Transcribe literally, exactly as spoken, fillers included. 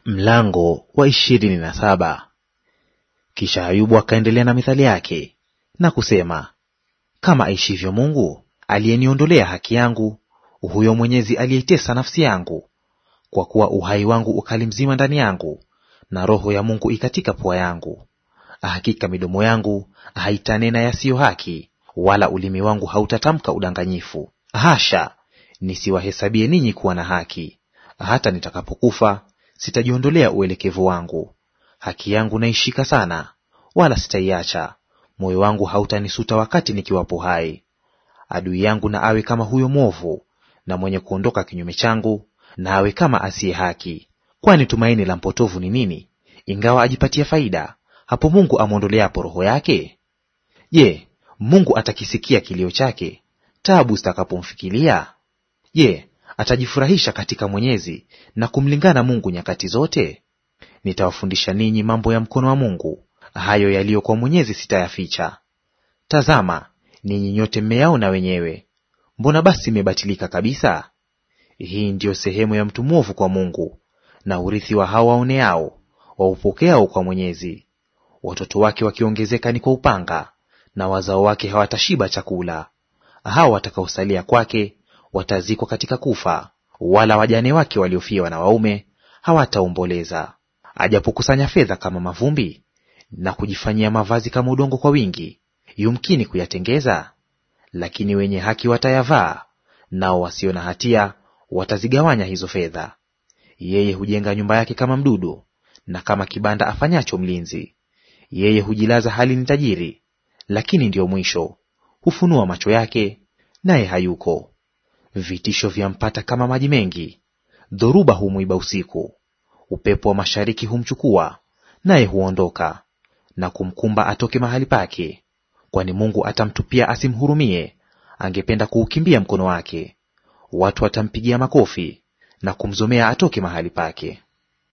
Mlango wa ishirini na saba. Kisha Ayubu akaendelea na mithali yake na kusema, kama aishivyo Mungu aliyeniondolea haki yangu, huyo Mwenyezi aliyeitesa nafsi yangu, kwa kuwa uhai wangu ukali mzima ndani yangu, na roho ya Mungu ikatika pua yangu. Hakika midomo yangu haitanena yasiyo haki, wala ulimi wangu hautatamka udanganyifu. Hasha, nisiwahesabie ninyi kuwa na haki. Hata nitakapokufa sitajiondolea uelekevu wangu. Haki yangu naishika sana, wala sitaiacha. Moyo wangu hautanisuta wakati nikiwapo hai. Adui yangu na awe kama huyo mwovu, na mwenye kuondoka kinyume changu na awe kama asiye haki. Kwani tumaini la mpotovu ni nini, ingawa ajipatia faida, hapo Mungu amwondoleapo roho yake? Je, Mungu atakisikia kilio chake taabu zitakapomfikilia? Je, atajifurahisha katika Mwenyezi na kumlingana Mungu nyakati zote? Nitawafundisha ninyi mambo ya mkono wa Mungu, hayo yaliyo kwa Mwenyezi sitayaficha. Tazama, ninyi nyote mmeyaona wenyewe. Mbona basi mmebatilika kabisa? Hii ndiyo sehemu ya mtu mwovu kwa Mungu, na urithi wa hao waoneao, waupokeao kwa Mwenyezi. Watoto wake wakiongezeka ni kwa upanga, na wazao wake hawatashiba chakula. Hao watakaosalia kwake watazikwa katika kufa, wala wajane wake waliofiwa na waume hawataomboleza. Ajapokusanya fedha kama mavumbi, na kujifanyia mavazi kama udongo kwa wingi, yumkini kuyatengeza? Lakini wenye haki watayavaa, nao wasio na hatia watazigawanya hizo fedha. Yeye hujenga nyumba yake kama mdudu, na kama kibanda afanyacho mlinzi. Yeye hujilaza hali ni tajiri, lakini ndiyo mwisho. Hufunua macho yake, naye hayuko. Vitisho vyampata kama maji mengi, dhoruba humuiba usiku. Upepo wa mashariki humchukua, naye huondoka, na kumkumba atoke mahali pake. Kwani Mungu atamtupia asimhurumie, angependa kuukimbia mkono wake. Watu watampigia makofi na kumzomea atoke mahali pake.